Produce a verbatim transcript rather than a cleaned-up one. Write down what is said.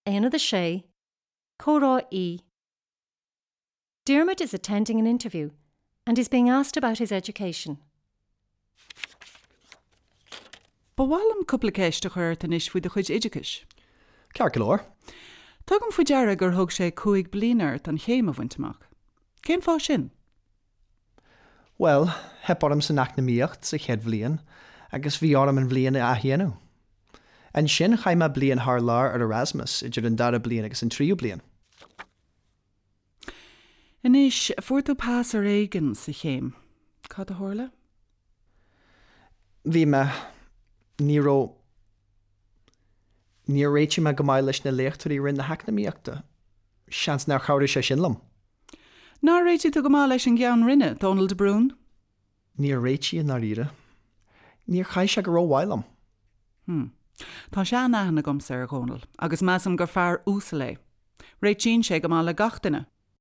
Aonad a sé, Comhrá E. Diarmuid is attending an interview and is being asked about his education. Ba mhaith liom cúpla ceist a chur ort anois faoi do chuid oideachais. Ceart go leor. Tugaim faoi deara gur thóg sé cúig bliana ort an chéim a bhaint amach. Cén fáth sin? Well, theip orm san eacnamaíocht sa chéad bhliain agus bhí orm an bhliain a athdhéanamh. Ansin chaith mé bliain thar lear ar Erasmus idir an dara bliain agus an tríú bliain. Anois fuair tú pas ar éigean sa chéim. Cad a tharla? Bhí mé ní raibh Níor réitigh mé go maith leis na léachtóirí Roinn na heacnamaíochta. Seans nár chabhraigh sé sin liom. Nár réitigh tú go maith leis an gceann roinne, Dónal de Brún? Níor réitigh i ndáiríre. Níor chaith sé go rómhaith liom. Hmm. Tá seanaithne agamsa ar Dhónal, agus measaim gur fear uasal é. Réitíonn sé go maith le gach duine.